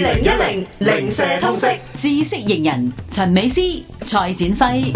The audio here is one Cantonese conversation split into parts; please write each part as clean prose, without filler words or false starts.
2010零舍通識知識型人陳美詩、蔡展輝。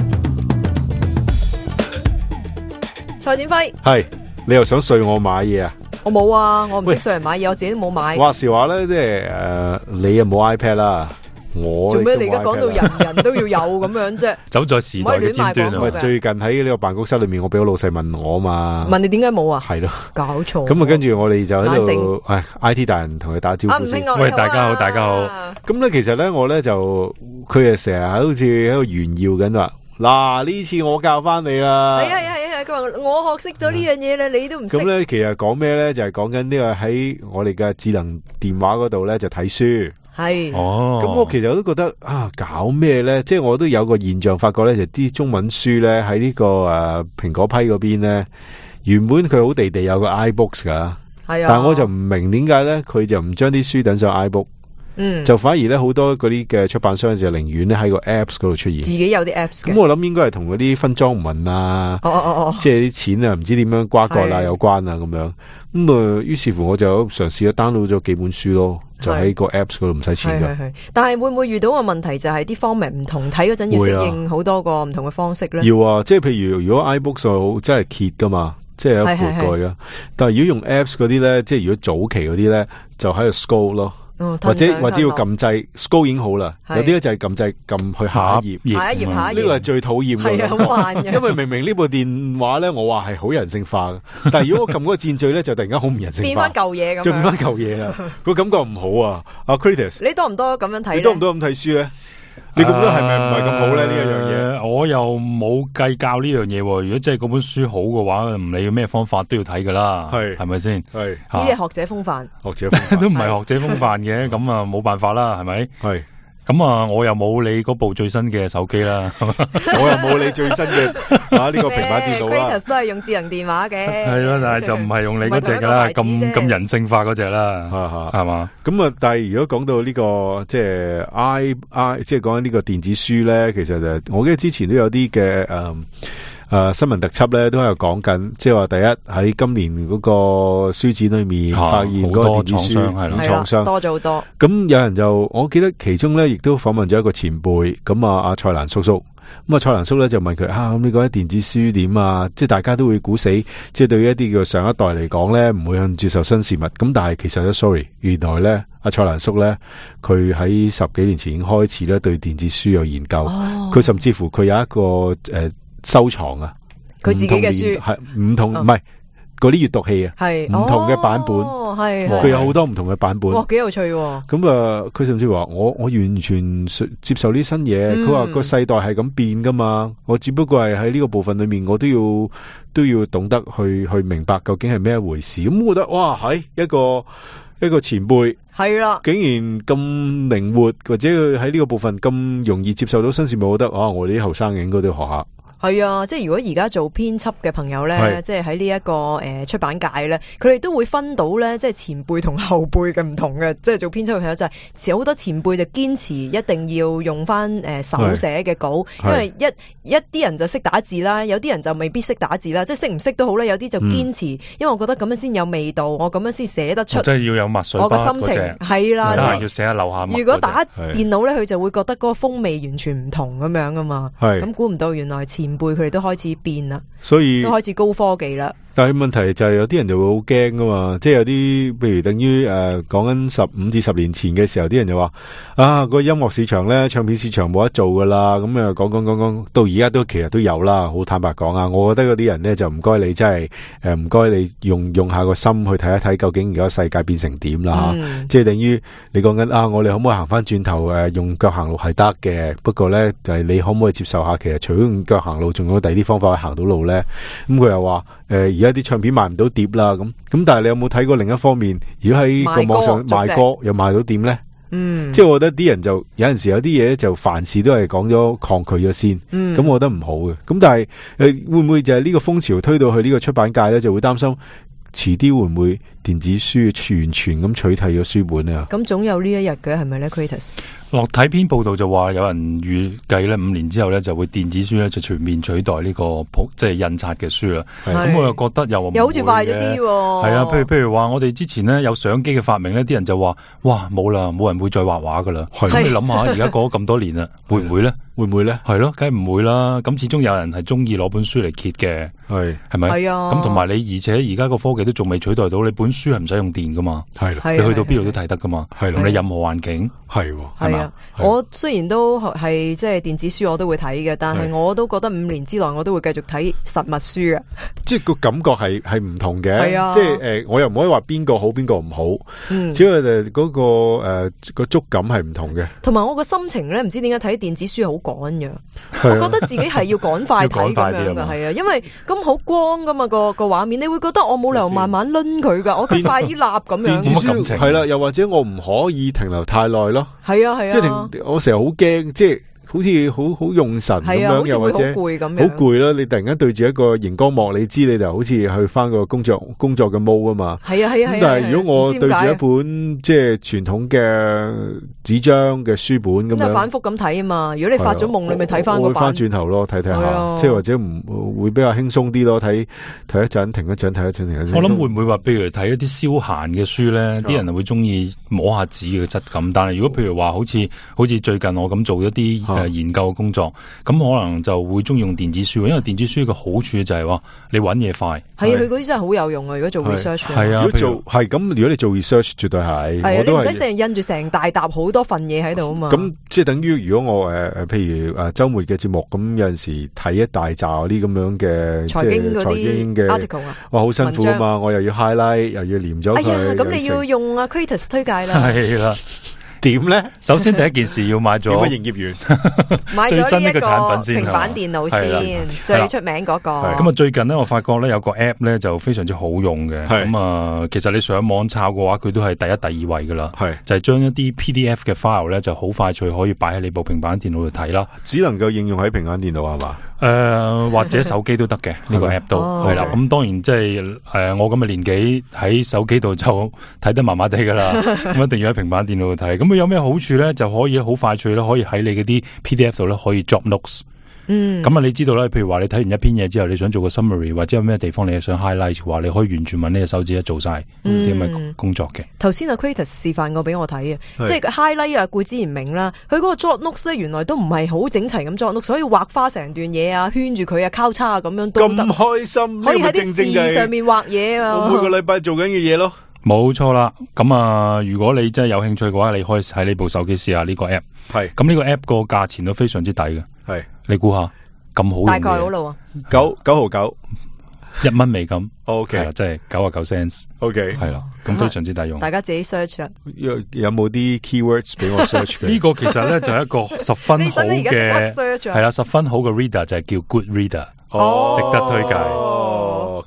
蔡展輝，係你又想睡我買嘢啊？我冇啊，我唔識上人買嘢，我自己都冇買。話時話咧，即係你又冇 iPad 啦，我做咩？你而家講到人人都要有咁樣啫？走在時代嘅尖端啊！喂，最近喺呢個辦公室裏面，我俾個老細問我嘛，問你點解冇啊？係咯，搞錯。咁啊，跟住我哋就喺度，IT 大人同佢打招呼先。喂，大家好，大家好。咁咧，其實咧，我咧就佢啊，成日好似喺度炫耀緊話，嗱呢次我教翻你啦。係啊。佢話我學識咗呢樣嘢咧，你都唔識。咁咧，其實講咩咧？就係講緊呢個喺我哋嘅智能電話嗰度咧，就睇書。係哦，咁我其實都覺得搞咩咧？即係我都有個現象發覺咧，就啲中文書咧喺呢個蘋果批嗰邊咧，原本佢好地地有個 iBooks 噶，係啊，但係我就唔明點解咧，佢就唔將啲書等上 iBook。就反而咧好多嗰啲嘅出版商就寧願咧喺個 apps 嗰度出現，自己有啲 apps 嘅。咁我諗應該係同嗰啲分贓文啊，即係啲錢啊，唔知點樣瓜葛啦有關啊咁樣。咁啊，於是乎我就嘗試咗 download 咗幾本書咯，就喺個 apps 嗰度唔使錢噶。但係會唔會遇到個問題就係啲 format 唔同，睇嗰陣要適應好多個唔同嘅方式咧？要啊，即係譬如果 iBooks 就真係揭噶嘛，即係有盤蓋噶。但係如果用 apps 嗰啲咧，即係如果早期嗰啲咧，就喺度 scroll 咯。或者要撳掣 scroll 已經好啦，有啲咧就係撳掣撳去下一頁，下一頁呢個係最討厭嘅，係好慢嘅。因為明明呢部電話咧，我話係好人性化嘅，但係如果我撳嗰個箭序咧，就突然間好唔人性化，變翻舊嘢咁，就變翻舊嘢啦，個感覺唔好啊。阿 Kritis， 你多唔多咁樣睇？你多唔多咁睇書咧？你覺得係咪唔係咁好咧？呢一樣嘢，我又冇計較呢樣嘢。如果真係嗰本書好嘅話，唔理咩方法都要睇噶啦，係咪先？係呢啲係學者風範，學者風範都唔係學者風範嘅，咁啊冇辦法啦，係咪？係。咁啊，我又冇你嗰部最新嘅手機啦，我又冇你最新嘅呢個平板電腦啦。Kritis 都係用智能電話嘅，係咯，但係就唔係用你嗰隻噶啦，咁人性化嗰隻啦，係嘛？咁啊，但係如果講到呢個即係即係講緊呢個電子書咧，其實就我記得之前都有啲嘅新聞特輯咧，都喺度講緊，即係話第一喺今年嗰個書展裏面發現嗰個電子書創傷多咗好多。咁有人就我記得其中咧，亦都訪問咗一個前輩，咁阿蔡瀾叔叔。咁啊，蔡瀾叔咧就問佢咁你覺得電子書點啊？即係大家都會估死，即係對於一啲叫上一代嚟講咧，唔會去接受新事物。咁但係其實咧 sorry， 原來咧阿蔡瀾叔咧，佢喺10幾年前已經開始咧對電子書有研究。佢甚至乎佢有一個收藏啊，佢自己嘅書係唔同，唔係嗰啲閱讀器啊，係唔同嘅版本，係佢有好多唔同嘅版本，哇，幾有趣喎！咁佢甚至話我完全接受呢新嘢，佢話個世代係咁變噶嘛，我只不過係喺呢個部分裏面，我都要懂得去明白究竟係咩一回事。咁我覺得哇，係一個前輩係啦，竟然咁靈活，或者佢喺呢個部分咁容易接受到新事物，我覺得我哋啲後生嘅應該都要學下。係啊，即係如果而家做編輯嘅朋友咧，即係喺呢一個出版界咧，佢哋都會分到咧，即係前輩同後輩嘅唔同嘅。即係做編輯嘅朋友就係好多前輩就堅持一定要用翻手寫嘅稿，因為一啲人就識打字啦，有啲人就未必識打字啦，即係識唔識都好咧，有啲就堅持，因為我覺得咁樣先有味道，我咁樣先寫得出。即係要有墨水筆，我個心情係啦，即係要寫下留下墨。如果打電腦咧，佢就會覺得嗰個風味完全唔同咁樣噶嘛。咁估唔到原來前輩佢哋都開始變啦，所以都開始高科技啦。但係問題就係有啲人就會好驚噶嘛，即係有啲譬如等於講緊15至10年前嘅時候，啲人就話個音樂市場咧，唱片市場冇得做噶啦，咁講到而家都其實都有啦。好坦白講啊，我覺得嗰啲人咧就唔該你真係唔該你用下個心去睇一睇究竟而家世界變成點啦。即係等於你講緊我哋可唔可以行翻轉頭用腳行路係得嘅，不過咧就係你可唔可以接受下其實除咗用腳行路，仲有第二啲方法去行到路咧？咁佢又話而家啲唱片賣唔到碟啦，咁但係你有冇睇過另一方面？如果喺個網上賣歌又賣到點咧？即係我覺得啲人就有陣時有啲嘢就凡事都係講咗抗拒咗先，咁我覺得唔好嘅。咁但係會唔會就係呢個風潮推到去呢個出版界咧，就會擔心遲啲會唔會電子書完全咁取替咗書本啊？咁總有呢一日嘅，係咪咧 Kratos？ 落睇篇報道就話有人預計咧5年之後咧就會電子書咧就全面取代呢個即係印刷嘅書啦。咁我又覺得又好似快咗啲。係啊，譬如話我哋之前咧有相機嘅發明咧，啲人就話哇冇啦，冇人會再畫畫噶啦。咁你諗下，而家過咗咁多年啦，會唔會咧？會唔會咧？係咯，梗係唔會啦。咁始終有人係中意攞本書嚟揭嘅，係咪？係啊。咁同埋你，而且而家個科技都仲未取代到，你本書係唔使用電噶嘛？係你去到邊度都睇得噶嘛？係你任何環境係嘛？我雖然都係即係電子書我都會睇嘅，但係我都覺得5年之內我都會繼續睇實物書嘅。即係個感覺係唔同嘅。係啊。即係我又唔可以話邊個好邊個唔好。只係嗰個個觸感係唔同嘅。同埋我個心情咧，唔知點解睇電子書好趕嘅。我覺得自己係要趕快睇咁樣噶，係啊，因為咁好光噶嘛個畫面，你會覺得我冇理由慢慢掄佢噶，我快啲立咁樣。電子書係啦，又或者我唔可以停留太耐咯。係啊係啊，即係我成日好驚，即係好似好用神咁樣，又或者好攰咁樣，好攰啦！你突然間對住一個熒光幕，你知你就好似去翻個工作嘅 mode 啊嘛。係啊係啊。咁但係如果我對住一本即係傳統嘅紙張嘅書本咁樣，反覆咁睇啊嘛。如果你發咗夢，你咪睇翻個版。我會翻轉頭咯，睇睇下，即係或者唔會比較輕鬆啲咯。睇一陣，停一陣，睇一陣，停一陣。我諗會唔會話，譬如睇一啲消閒嘅書咧，啲人會中意摸下紙嘅質感。但係如果譬如話，好似最近我咁做一啲研究工作，咁可能就會中意用電子書，因為電子書嘅好處就係話你揾嘢快。係啊，佢嗰啲真係好有用啊！如果做 research，係啊，如果做係咁，如果你做 research，絕對係。係啊，你唔使成日印住成大沓好多份嘢喺度啊嘛。咁即係等於如果我譬如週末嘅節目，咁有陣時睇一大紮啲咁樣嘅財經嗰啲 article 啊，哇，好辛苦啊嘛！我又要 highlight，又要黏咗佢。哎呀，咁你要用阿 Kratos 推介啦。係啦。點咧？首先第一件事要買咗營業員，買咗呢一個產品先，平板電腦先，最出名嗰個。咁啊，最近咧我發覺咧有個 app 咧就非常之好用嘅。咁啊，其實你上網抄嘅話，佢都係第一、第二位噶啦。就係將一啲 PDF 嘅 file 咧就好快脆可以擺喺你部平板電腦度睇啦。只能夠應用喺平板電腦係嘛？或者手機都得嘅，呢個 app 都係啦。咁當然即係我咁嘅年紀喺手機度就睇得麻麻地噶啦，咁一定要喺平板電腦度睇。咁佢有咩好處咧？就可以好快脆啦，可以喺你嗰啲 PDF 度咧可以 drop notes。咁啊，你知道咧，譬如話你睇完一篇嘢之後，你想做個 summary，或者有咩地方你想 highlight 嘅話，你可以完全揾呢隻手指一做晒啲咁嘅工作嘅。頭先阿 Kratos 示範過俾我睇嘅，即係 highlight 啊，固之然明啦。佢嗰個 drop notes 咧，原來都唔係好整齊咁 drop notes，所以畫花成段嘢啊，圈住佢啊，交叉啊，咁樣都得。咁開心，可以喺啲字上面畫嘢啊！我每個禮拜做緊嘅嘢咯。冇錯啦，咁啊，如果你真係有興趣嘅話，你可以喺呢部手機試下呢個 app。係，咁呢個 app 個價錢都非常之抵嘅。係，你估下咁好用嘅？大概好咯啊，9.9，1蚊美金。OK，係啦，即係99 cents。OK，係啦，咁非常之抵用。大家自己 search 啊。有冇啲 keywords 俾我 search 嘅？呢個其實咧就係一個十分好嘅，係啦，十分好嘅 reader 就係叫 Good Reader，值得推介。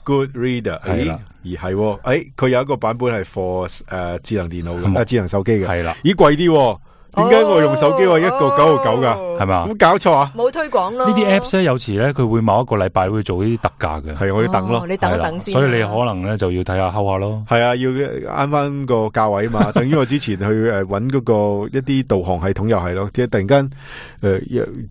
Good Reader 係啦，而係佢有一個版本係 for 智能電腦嘅，智能手機嘅，係啦，咦貴啲？點解我用手機話1個9.9噶？係嘛？咁搞錯啊？冇推廣咯。呢啲 apps 咧，有時咧佢會某一個禮拜會做呢啲特價嘅，係我要等咯。你等一等先。所以你可能咧就要睇下睺下咯。係啊，要慳翻個價位嘛。等於我之前去搵嗰個一啲導航系統又係咯，即係突然間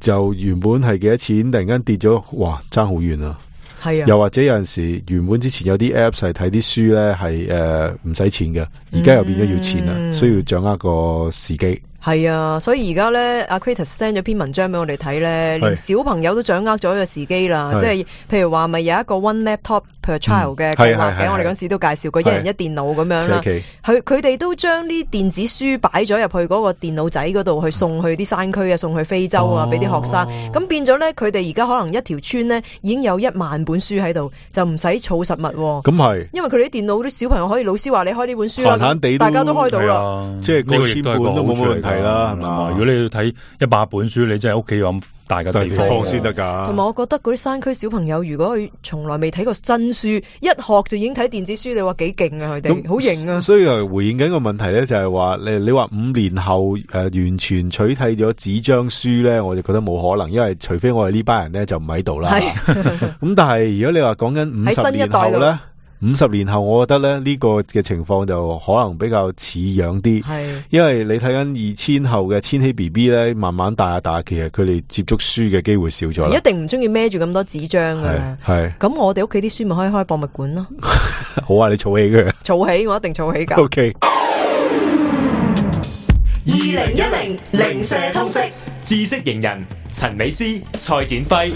就原本係幾多錢，突然間跌咗，哇，爭好遠啊！係啊，又或者有陣時原本之前有啲 apps 係睇啲書咧係唔使錢嘅，而家又變咗要錢啦，需要掌握個時機。係啊，所以而家咧，阿 Kratos send 咗篇文章俾我哋睇咧，連小朋友都掌握咗個時機啦。即係譬如話，咪有一個 one laptop per child 嘅計劃嘅，我哋嗰時都介紹過，一人一電腦咁樣啦。佢哋都將啲電子書擺咗入去嗰個電腦仔嗰度，去送去啲山區啊，送去非洲啊，俾啲學生。咁變咗咧，佢哋而家可能一條村咧已經有1萬本書喺度，就唔使儲實物。咁係，因為佢哋啲電腦啲小朋友可以，老師話你開呢本書啦，大家都開到啦，即係過千本都冇乜問題啦，係嘛？如果你要睇100本書，你真係屋企有咁大嘅地方先得噶。同埋，我覺得嗰啲山區小朋友，如果佢從來未睇過真書，一學就已經睇電子書，你話幾勁啊？佢哋好型啊！所以回應緊個問題咧，就係話你話5年後完全取替咗紙張書咧，我就覺得冇可能，因為除非我哋呢班人咧就唔喺度啦。咁但係如果你話講緊50年後咧， 50年後，我覺得咧呢個嘅情況就可能比較似樣啲，因為你睇緊2000後嘅千禧 BB 咧，慢慢大下大下，其實佢哋接觸書嘅機會少咗啦。一定唔中意孭住咁多紙張噶，係咁我哋屋企啲書咪可以開博物館咯。好啊，你儲起佢，儲起我一定儲起噶。OK。2010零舍通識知識型人陳美詩、蔡展輝。